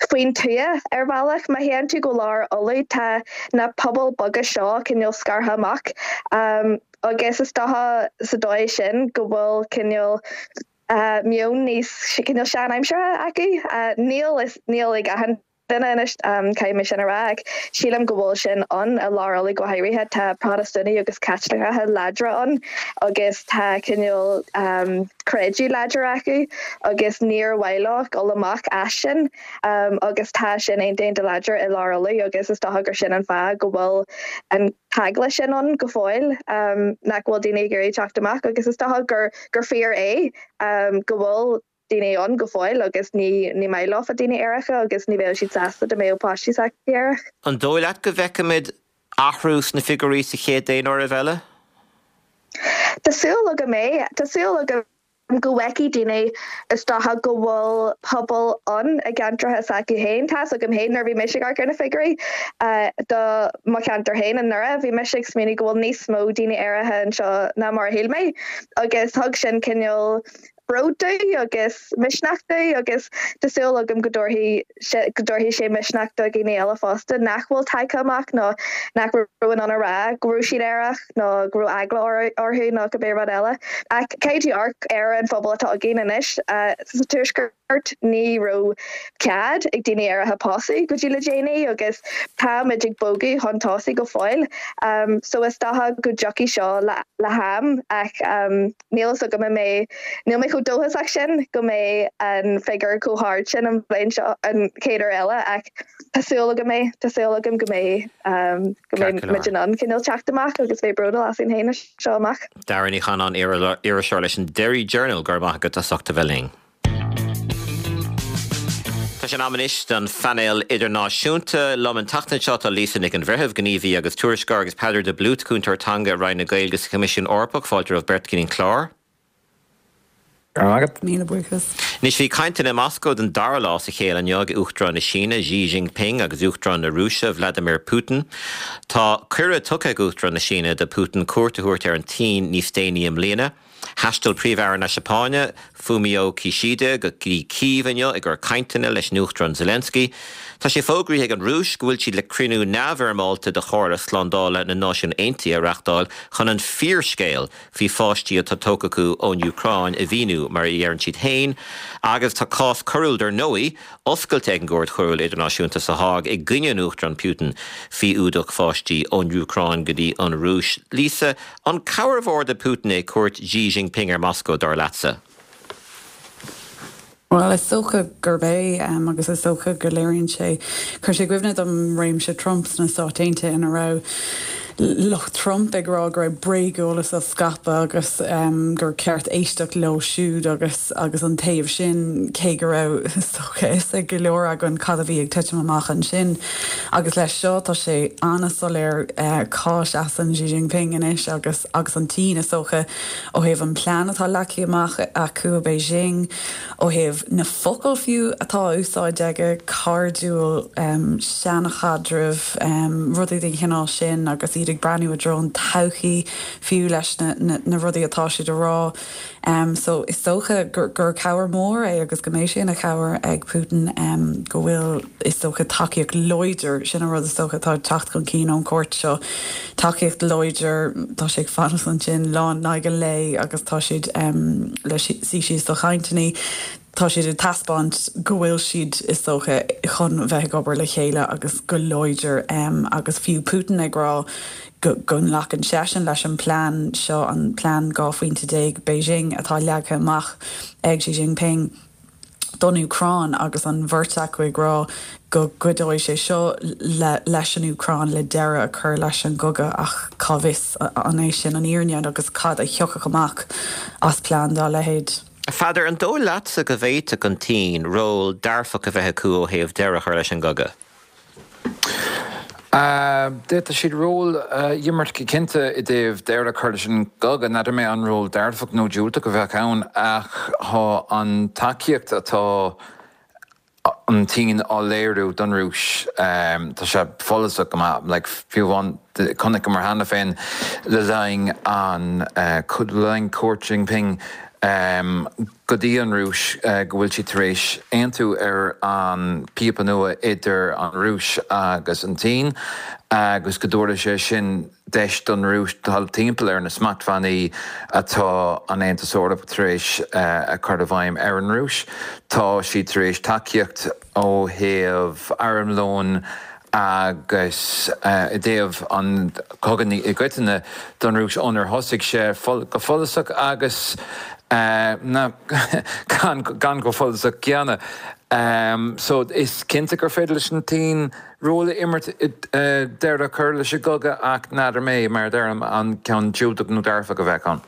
faoin tuath ar bhealach má théann tú go Lár Uladh tá na pobail beaga seo cineál scartha amach um, agus is dócha sa dóigh sin go bhfuil cineál uh, meon níos cineál seanaimseartha acu uh, níl is níl ag achan duine anois um, caithfidh mé sin a rá ach sílim go bhfuil sin ann i Lár Uladh go háirithe tá Protastúnaigh agus Caitliceacha láidre ann agus tá cineál um, creideamh láidir acu agus níor mhaith leo dul amach as sin um, agus tá sin iontach láidir i Lár Uladh agus is dócha gur sin an fáth go bhfuil an t-eagla sin ann go fóill um, nach bhfuil daoine ag iarraidh teacht amach agus is dócha gur gur fíor é um, go bhfuil daoine ann go fóill agus ní ní maith leo daoine aeracha agus ní bheadh siad sásta dá mbeadh páistí s'acu aerach. An dóigh leat go bhfeicfimid athrú sna figiúirí sa chéad daonáireamh eile? Tá súil agam é Tá súil agam go bhfeicfidh daoine is dócha go bhfuil pobal ann i gceantracha s'acu féin tá a fhios agam féin nuair a bhí mise ag amharc ar na figiúirí uh, do mo cheantar féin i nDoire bhí mise ag smaoineamh go bhfuil níos mó daoine aeracha anseo ná mar a shíl mé agus thug sin cineál bród domh agus misneach domh agus tá súil agam go dtabharfaidh go dtabharfaidh sé misneach do dhaoine eile fosta nach bhfuil tagtha amach nó nach raibh in ann a rá go raibh siad aerach nó go raibh eagla orthu nó cibé rud eile. Ach caithfidh tú amharc ar an phobal atá againn anois uh, sa tuaisceart ní raibh cead ag daoine aeracha pósadh go dtí le déanaí agus táimid ag bogadh chun tosaigh go fóill. Um, so is dócha go dtiocfaidh seo le, le ham ach um, níl a fhios agam mé níl mé chomh dóchasach sin go mbeidh an figiúr chomh hard sin an bhliain seo an chéad uair eile ach tá súil agam é tá súil agam go mbeidh um, go mbeidh muid in ann cineál teacht amach agus bheith bródúil asainn féin seo amach. Dara Ní Chanáin iriseoir leis an Derry Journal gur maith go as ucht a bheith linn. Tá sé in am anois don phainéal idirnáisiúnta liom an tseachtain seo tá Lisa Nic an Bhreithimh gníomhaí agus tuairisceoir agus Peadar de Blút cúntóir teanga Roinn na Gaeilge sa Choimisiún Eorpach fáilte romhaibh beirt chuig an chlár. Agat. Míle buíochas. Anois bhí cainteanna i Moscó den dara lá as a chéile inniu ag Uachtarán na Síne Xi Jinping agus Uachtarán na Rúise Vladimir Putin. Tá cuireadh tugtha ag Uachtarán na Síne do Putin cuairt a thabhairt ar an tSín níos déanaí i mbliana. Thaistil Príomh-Aire na Seapáine Fumio Kishida go dtí Cív inniu i gcomhair cainteanna leis an Uachtarán Zelensky. Tá sé fógraithe ag an Rúis go bhfuil siad le cruinniú neamhfhoirmeálta de Chomhairle Slándála na Náisiún Aontaithe a reáchtáil chun an fíorscéal faoi pháistí atá tógtha acu ón Úcráin a mhíniú mar a deireann siad féin, agus tá cás coiriúil dar ndóigh oscailte ag an gCúirt Choiriúil Idirnáisiúnta sa Háig i gcoinne an Uachtarán Putin faoi fhuadach pháistí ón Úcráin go dtí an Rúis. Lisa, an cabhair mhór do Putin é cuairt Xi Jinping ar Moscó dar leatsa. Well is dócha gurb é um, agus is dócha go léiríonn sé chuir sé i gcuimhne dom réimse Trump sna Stáit Aontaithe ina raibh lucht Trump ag rá go raibh bréageolas á scaipeadh agus um, gur ceart éisteacht leo siúd agus agus an taobh sin cé go raibh is ag go leor againn cad a bhí ag titim amach ansin. agus leis seo tá sé an-soiléir uh, cá seasann Xi Jinping anois agus agus an tSín is dócha ó thaobh an plean atá leagtha amach acu Beijing ó thaobh na focail fiú atá úsáidte aige cairdiúil um, seanchaidreamh um, rudaí den chineál sin agus iad iad ag breathnú i dtreo an todhchaí fiú leis na, na, na rudaí atá siad a rá. Um, so is dócha gur, gur cabhair mór é agus go mbeidh sé ina chabhair ag Putin um, go bhfuil is dócha tacaíocht láidir sin an rud is dócha atá ag teacht chun cinn ón gcuairt seo tacaíocht láidir tá sé ag fanacht ansin lá in aghaidh an lae agus tá siad um, le suí síos do chainteanna. Tá siad ag taispeáint go bhfuil siad is dócha chun bheith ag obair le chéile agus go láidir um, agus fiú Putin ag rá go, go nglacann seisean leis an plean seo an plean dhá phointe déag Beijing atá leagtha amach ag Xi Jinping don Úcráin agus an bheirt acu ag rá go gcuideoidh sé seo le, leis an Úcráin le deireadh a chur leis an gcogadh ach cá bhfios an é sin an fhírinne agus cad a thiocfadh amach as plean dá leithéid. A Pheadair, an dóigh leatsa go bhféadfadh an tSín ról dearfach a bheith acu ó thaobh deireadh a chur leis an gcogadh? D'fhéadfadh siad ról a imirt go cinnte i dtaobh deireadh a chur leis an gcogadh. N'fheadar mé an ról dearfach nó diúltach a bheadh ann ach tá an tacaíocht atá an tSín á léiriú don Rúis, tá sé follasach go maith, like fiú amháin chonaiceamar cheana féin le linn an le linn cuairt Jinping go dtí an Rúis go bhfuil siad tar éis aontú ar an píopa nua idir an Rúis agus an tSín agus go dtabharfaidh sé sin deis don Rúis dul timpeall ar na smachtbhannaí atá an Aontas Eorpach tar éis a chur i bhfeidhm ar an Rúis. Tá siad tar éis tacaíocht ó thaobh armlóin agus i dtaobh an chogaidh i gcoitinne don Rúis ónar thosaigh sé go follasach agus na gan gan go follasach céanna. So is cinnte gur féidir leis an tSín ról a imirt i deireadh a chur leis an gcogadh ach n'fheadar mé mar a deirim an ceann diúltach nó dearfach a bheadh ann.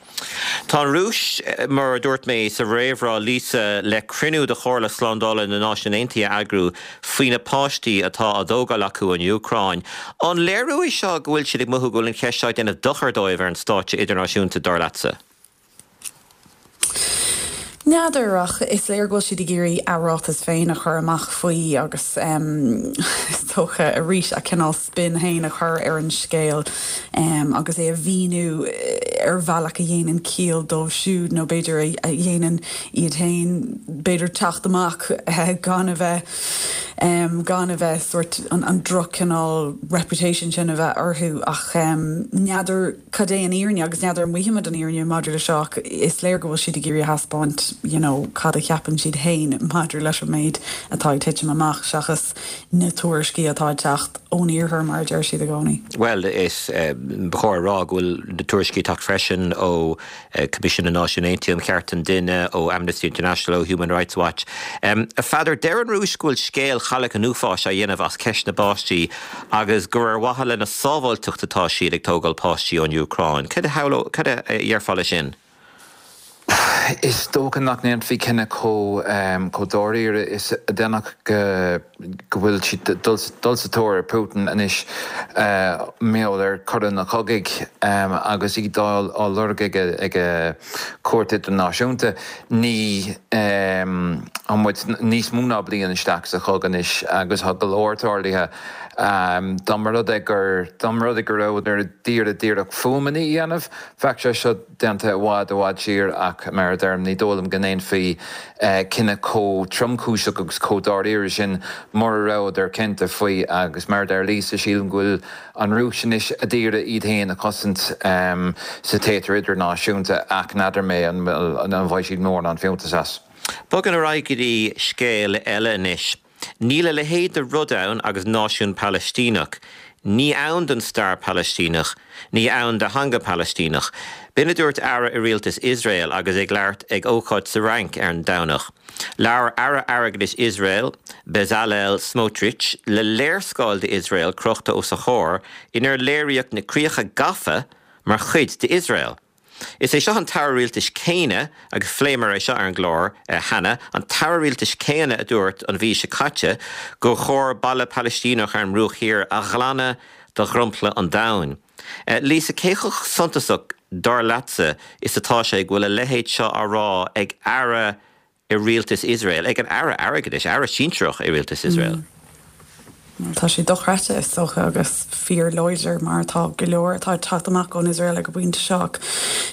Tá an Rúis, mar a dúirt mé sa réamhrá, Lisa, le cruinniú de Chomhairle Slándála na Náisiún Aontaithe a eagrú faoi na páistí atá á dtógáil acu an Úcráin. An léiriú é seo go bhfuil siad ag mothú go bhfuil an cheist seo ag déanamh dochar dóibh ar an stáitse idirnáisiúnta, dar leatsa? N'fheadar ach is léir go bhfuil siad ag iarraidh a ráiteas féin a chur amach faoi agus is dócha arís a cineál spin féin a chur ar an scéal agus é a mhíniú ar bhealach a dhéanann ciall dóibh siúd nó b'fhéidir a dhéanann iad féin b'fhéidir teacht amach gan a bheith gan a bheith sort an droch-chineál reputation sin a bheith orthu ach n'fheadar cad é an fhírinne agus n'fheadar an bhfaighimid an fhírinne maidir le seo ach is léir go bhfuil siad ag iarraidh a thaispeáint you know, cad a cheapann siad féin maidir leis an méid atá ag titim amach seachas na tuairiscí atá ag teacht ón iarthar mar a deir siad i gcónaí. Bhuel, is ba chóir a rá go bhfuil na tuairiscí ag teacht freisin ó Coimisiún na Náisiún Aontaithe um Chearta an Duine, ó Amnesty International, ó Human Rights Watch. A Pheadair, deir an Rúis go bhfuil scéal Chailleach an Uafáis á dhéanamh as ceist na bpáistí agus gur ar mhaithe lena sábháilteacht atá siad ag tógáil páistí ón Úcráin. Cad a déarfá leis sin? Is dócha nach ndéanfaí cinneadh chomh dáiríre is a déanfadh go bhfuil siad dul sa tóir ar Putin anois mar gheall ar choireanna cogaidh agus iad á lorg ag cúirt idirnáisiúnta. Ní tá muid níos mó ná bliain isteach sa chogadh anois agus tá go leor tarlaithe. Dá mba rud é gur dá mba rud é go rabhadar ag iarraidh díreach fuaimeanna a dhéanamh, bheadh sé seo déanta i bhfad i bhfad siar ach mar a deirim ní dóigh liom go ndéanfaí cinneadh chomh tromchúiseach agus chomh dáiríre sin mura rabhadar cinnte faoi agus mar a deir Lisa sílim go bhfuil an Rúis anois ag iarraidh iad féin a chosaint sa téatar idirnáisiúnta ach n'fheadar mé an bhfaighidh siad mórán fiúntas as. Bogann ar aghaidh go dtí scéal eile anois. Níl a leithéid de rud ann agus náisiún Palaistíneach. Ní ann don stair Palaistíneach, ní ann do theanga Palaistíneach. B'in a dúirt aire i rialtas Iosrael agus é ag labhairt ag ócáid sa Fhrainc ar an Domhnach. Labhair Aire Airgeadais Iosrael, Bezalel Smotrich, le léarscáil d'Iosrael crochta os a chomhair inar léiríodh na críocha gafa mar chuid d'Iosrael. Is é seo an t-aire rialtais céanna, agus phléamar é seo ar an gclár cheana, an t-aire rialtais céanna a dúirt an mhí seo caite gur chóir baile Palaistíneach ar an mBruach Thiar a ghlanadh de dhromchla an domhain. Lisa, cé chomh suntasach, dar leatsa, is atá sé go bhfuil a leithéid seo á rá ag aire i rialtas Iosrael, ag an aire airgeadais, aire sinsearach i rialtas Iosrael? Tá sé dochreidte is dócha agus fíorláidir mar atá go leor atá ag teacht amach ón Iosrael ag an bpointe seo ach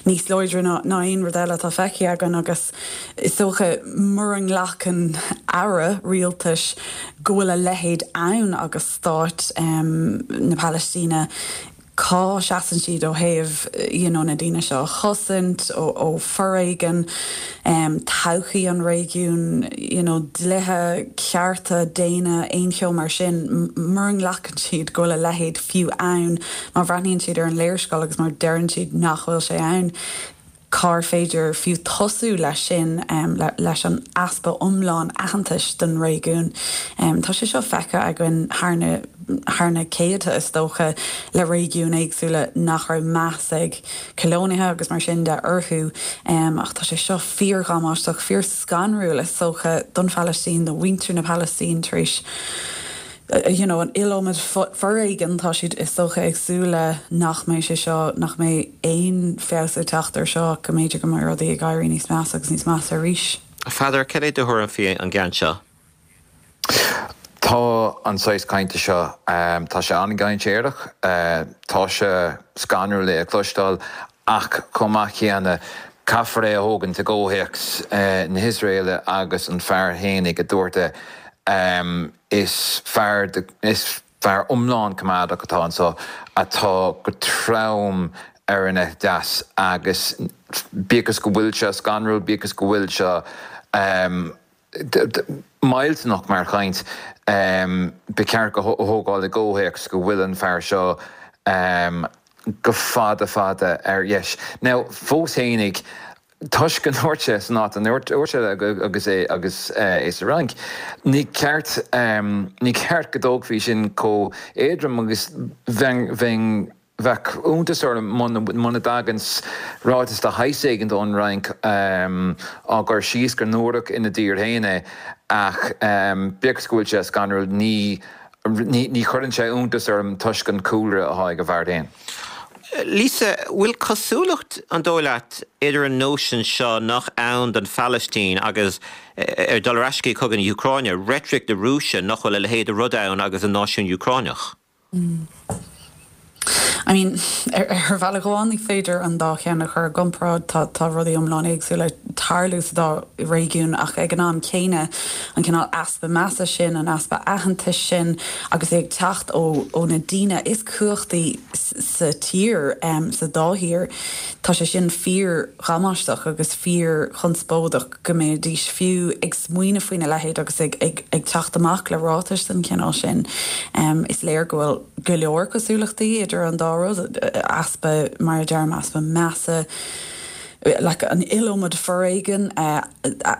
níos láidre ná aon rud eile atá feicthe againn agus is dócha mura nglacann aire rialtais go bhfuil a leithéid ann agus stát na Palaistíne cá seasann siad ó thaobh you know, na daoine seo a chosaint ó, ó foréigean, um, todhchaí an réigiún, you know, dlíthe, cearta daonna, aon cheo mar sin, mura nglacann siad go bhfuil a leithéid fiú ann, má bhreathnaíonn siad ar an léarscáil agus mar deireann siad nach bhfuil sé ann. Cár féidir fiú tosú leis sin, leis an easpa iomlán aitheantais don réigiún. Tá sé seo feicthe againn thar na thar na céadta is dócha le réigiúin éagsúla nach raibh meas ag colónaithe agus mar sin de orthu ach tá sé seo fíordhamáisteach, fíorscanrúil is dócha don Phalaistín, do mhuintir na Palaistíne tar éis you know, an iliomad foréigean, tá siad is dócha ag súil le nach mbeidh sé seo, nach mbeidh aon feabhas ag teacht ar seo, go mb'fhéidir go mbeidh rudaí ag éirí níos measa agus níos measa arís. A Pheadair, cad é do thuairim faoi an gceann seo? Tá an saghas cainte seo, tá sé an-dainséarach, tá sé scanrúil é a chloisteáil ach chomh maith céanna caithfear é a thógaint i gcomhthéacs na hIosraeile agus an fear fhéinig a dúirt é. Is fear is fear iomlán coimeádach atá anseo atá go trom ar an eite dheas agus bíodh is go bhfuil sé scanrúil, bíodh is go bhfuil sé millteanach mar chaint, ba cheart go a thógáil i gcomhthéacs go bhfuil an fear seo go fada fada ar dheis. Now, fós fhéinig, toisc go ndúirt sé san áit a ndúirt sé agus é agus é sa Fhrainc, ní ceart ní ceart go dtógfaí sin chomh éadrom agus bheinn bheinn bheadh iontas orm muna dtagann ráiteas de shaghas éigin ón Fhrainc á gcur síos gur náireach ina dtír féin é ach bíodh is go bhfuil sé scanrúil ní ní chuireann sé iontas orm toisc an cúlra atá ag an bhfear féin. Lisa, bhfuil cosúlacht, an dóigh leat, idir an nóisean seo nach ann don Phalaistín agus, ar dul ar ais go cogadh na hÚcráine, reitric na Rúise nach bhfuil a leithéid de rud ann agus an náisiún Úcráineach? I mean, ar bhealach amháin ní féidir an dá cheann a chur i gcomparáid, tá tá rudaí iomlán éagsúla ag tarlú sa dá réigiún ach ag an am céanna an cineál easpa measa sin, an easpa aitheantais sin agus é ag teacht ó ó na daoine is cumhachtaí sa tír, sa dá thír, tá sé sin fíordhamáisteach agus fíorchonspóideach go mbeidís fiú ag smaoineamh faoina leithéid agus ag ag ag teacht amach le ráitis den chineál sin. Is léir go bhfuil go leor cosúlachtaí idir an dá rud, easpa, mar a deirim, easpa measa, like an iliomad foréigean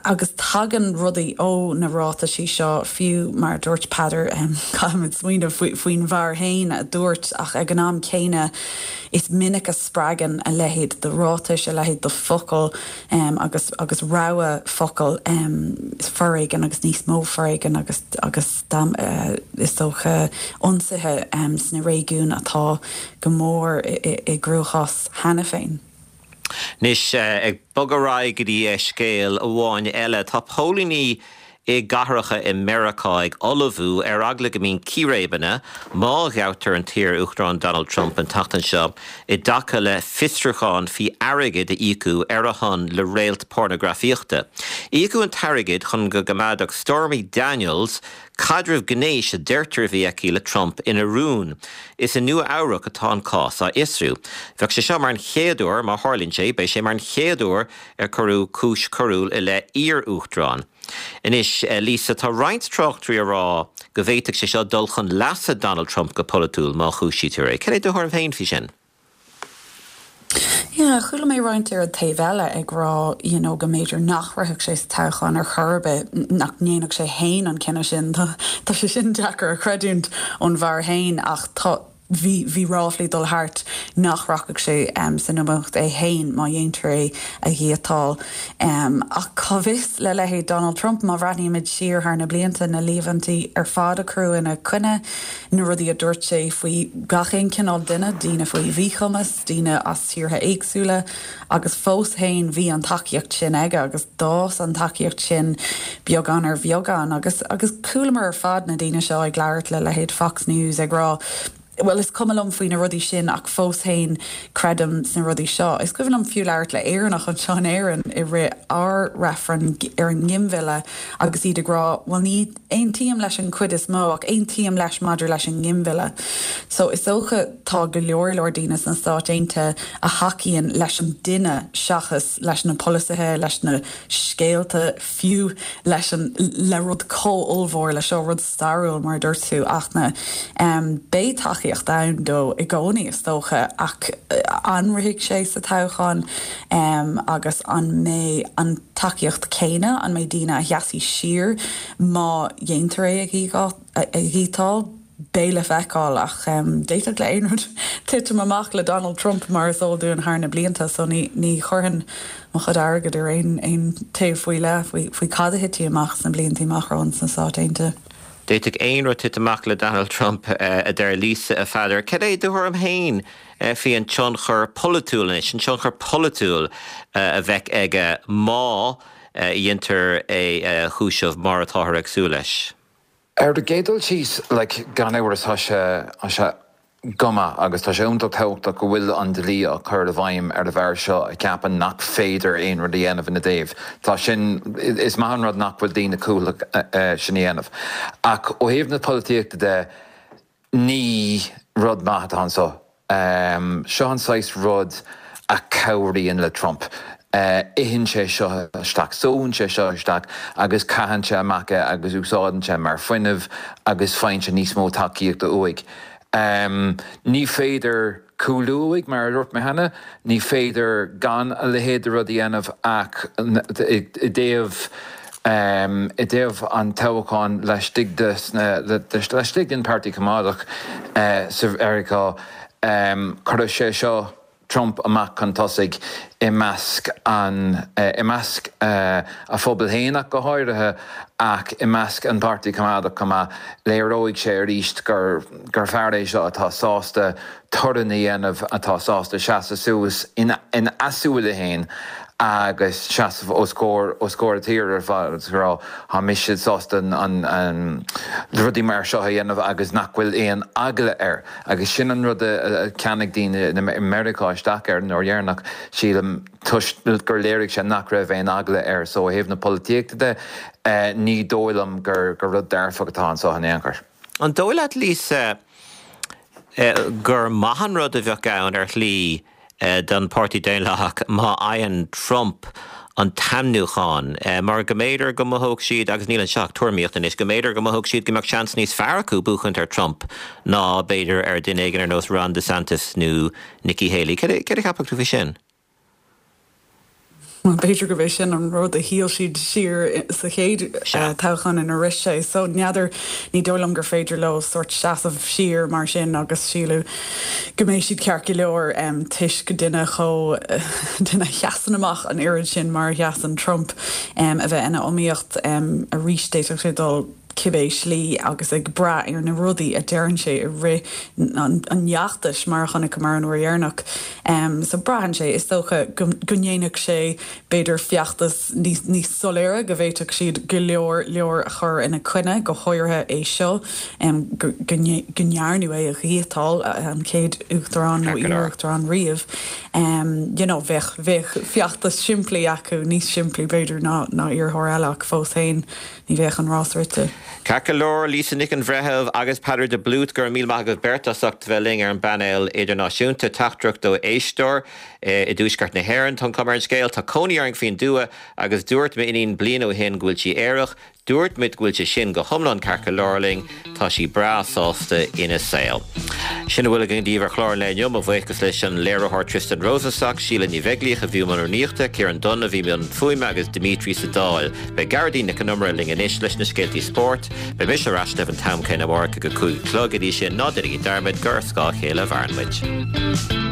agus tagann rudaí ó na ráitisí seo fiú mar a dúirt Peadar caithfimid smaoineamh faoin bhfear féin a dúirt ach ag an am céanna is minic a spreagann a leithéid de ráitis, a leithéid de focail agus agus rogha focal foréigean agus níos mó foréigean agus agus is dócha ionsaithe sna réigiúin atá go mór i gcruachás cheana féin. Anois, ag bogadh ar aghaidh go dtí scéal amháin eile, tá póilíní i gcathracha i Meiriceá ag ullmhú ar eagla go mbíonn círéibeanna má ghabhtar an t-iar-uachtarán Donald Trump an tseachtain seo i dtaca le fiosrúchán faoi airgead a íocadh ar a shon le réalt pornagrafaíochta. Íocadh an t-airgead chun go gcoimeádfadh Stormy Daniels caidreamh gnéis a deirtear a bhí aici le Trump ina rún. Is i Nua Eabhrac atá an cás á fhiosrú. Bheadh sé seo mar an chéad uair, má tharlaíonn sé, beidh sé mar an chéad uair ar cuireadh cúis choiriúil i leith iar-uachtaráin. Anois, Lisa, tá roinnt tráchtairí ag rá go bhféadfadh sé seo dul chun leasa Donald Trump go polaitiúil má chúisítear é. Cad é do thuairim féin faoi sin? Yeah, chuala mé roinnt ar an taobh eile ag rá you know go mb'fhéidir nach rithfeadh sé sa toghchán ar chor ar bith, nach ndéanfadh sé féin an cinneadh sin. Tá sé sin deacair a chreidiúint ón bhfear féin ach tá bhí bhí ráflaí dul thart nach rachadh sé san iomaíocht é féin má dhéantar é a dhíotáil. Ach cá bhfios le leithéid Donald Trump má bhreathnaímid siar thar na blianta na líomhaintí ar fad a cuireadh ina choinne, na rudaí a dúirt sé faoi gach aon chineál duine, daoine faoi mhíchumas, daoine as tíortha éagsúla agus fós féin bhí an tacaíocht sin aige agus d'fhás an tacaíocht sin beagán ar bheagán agus agus chualamar ar fad na daoine seo ag labhairt le leithéid Fox News ag rá Bhuel is cuma liom faoi na rudaí sin ach fós féin creidim sna rudaí seo. Is cuimhin liom fiú labhairt le Éireannach anseo in Éirinn i rith ár reifreann ar an nginmhilleadh agus iad ag rá bhuel ní aontaím leis an chuid is mó ach aontaím leis maidir leis an nginmhilleadh. So is dócha tá go leor leor daoine sna Stáit Aontaithe a thacaíonn leis an duine seachas leis na polasaithe, leis na scéalta, fiú leis an le rud chomh ollmhór le seo rud stairiúil mar a dúirt tú Fhachtna. Beidh tacaíocht ann dó i gcónaí is dócha ach an rithfidh sé sa toghchán agus an mbeidh an tacaíocht céanna, an mbeidh daoine a sheasfaidh siar má dhéantar é a dhíotáil? Beidh le feiceáil ach d'fhéadfadh le aon rud titim amach le Donald Trump mar is eol dúinn thar na blianta so ní ní chuirfinn mo chuid airgid ar aon aon taobh faoi leith faoi faoi cad a thitfidh amach sna blianta amach romhainn sna Stáit Aontaithe. D'fhéadfadh aon rud titim amach le Donald Trump, a deir Lisa, a Pheadair. Cad é do thuairim féin faoi an tionchar polaitiúil anois, an tionchar polaitiúil a bheadh aige má dhéantar é a chúiseamh mar atáthar ag súil leis? Ar an gcéad dul síos, like, gan amhras tá sé, tá sé go maith agus tá sé iontach tábhachtach go bhfuil an dlí á chur i bhfeidhm ar an bhfear seo a cheapann nach féidir aon rud a dhéanamh ina dtaobh. Tá sin, is maith an rud nach bhfuil daoine cumhachtach sin a dhéanamh. Ach ó thaobh na polaitíochta de, ní rud maith atá anseo. Seo an saghas rud a chabhraíonn le Trump. Itheann sé seo isteach, sóann sé seo isteach agus caitheann sé amach é agus úsáideann sé mar fuinneamh agus faigheann sé níos mó tacaíochta uaidh. Ní féidir cúlú uaidh, mar a dúirt mé cheana, ní féidir gan a leithéid de rud a dhéanamh ach i dtaobh i dtaobh an toghcháin laistigh de laistigh den Páirtí Coimeádach sa Mheiriceá, cuirfidh sé seo Trump amach chun tosaigh i measc an i measc a phobail féin ach go háirithe ach i measc an Páirtí Coimeádach chomh maith. Léireoidh sé arís gur gur fear é seo atá sásta torann a dhéanamh, atá sásta seasamh suas ina ina súile féin agus seasamh os comhair os comhair a tíre ar fad agus rá tá mise sásta an an rudaí mar seo a dhéanamh agus nach bhfuil aon eagla air. Agus sin an rud a cheannaigh daoine i Meiriceá isteach air an uair dheireanach, sílim, toisc gur léirigh sé nach raibh aon eagla air. So ó thaobh na polaitíochta de, ní dóigh liom gur gur rud dearfach atá anseo in aon chor. An dóigh leat, Lisa, gur maith an rud a bheadh ann ar shlí don Páirtí Daonlathach má fhaigheann Trump an t-ainmniúchán, mar go mb'fhéidir go mothódh siad, agus níl anseo ach tuairimíocht anois, go mb'fhéidir go mothódh siad go mbeadh seans níos fearr acu buachaint ar Trump ná b'fhéidir ar duine éigin ar nós Ron DeSantis nó Nikki Haley. Cad a cheapfadh tú faoi sin? Bhuel, b'fhéidir gurb é sin an rud a shíl siad siar sa chéad toghchán inar rith sé. So, n'fheadar, ní dóigh liom gur féidir leo sórt seasamh siar mar sin agus síleadh go mbeidh siad ceart go leor toisc duine chomh, duine a sheasann amach an oiread sin mar a sheasann Trump a bheith ina iomaíocht arís. D'fhéadfadh sé dul cibé slí agus ag brath ar na rudaí a deireann sé i rith an fheachtais, mar a chonaiceamar an uair dheireanach. So braitheann sé, is dócha, go ndéanfadh sé b'fhéidir feachtas níos soiléire, go bhféadfadh siad go leor leor a chur ina choinne, go háirithe é seo, go ndearnadh é a dhíotáil, an chéad uachtarán nó iar-uachtarán riamh. You know, bheadh bheadh feachtas simplí acu, níos simplí b'fhéidir ná iarrthóir eile ach fós féin. Ní bheadh an rás rite. Ceart go leor, Lisa Nic an Bhreithimh agus Peadar de Blúit, go raibh míle maith agaibh beirt as ucht bheith linn ar an bpainéal idirnáisiúnta. Teachtaireacht ó éisteoir i dtuaisceart na hÉireann. Tá an chuma ar an scéal, tá cónaí orainn faoin dtuath agus dúirt m'iníon bliain ó shin go bhfuil sí aerach. Dúirt muid go bhfuil sé sin go hiomlán ceart go leor linn, tá sí breá sásta ina saol. Sin a bhfuil againn daoibh ar chlár an lae inniu, mo bhuíochas leis an léiritheoir Tristan Rosenstock, Síle Ní Bheaglíoch a bhí i mbun rúnaíochta, Ciarán Dunne a bhí i mbun fuaime agus Dimitri sa Dáil. Beidh Gearóidín Nic Con Iomaire linn anois leis na scéaltaí spóirt. Beidh mise ar ais libh an t-am céanna amárach ag a cúig a chlog. Go dtí sin, ná déanaigí dearmad gur ar scáth a chéile a mhaireann muid.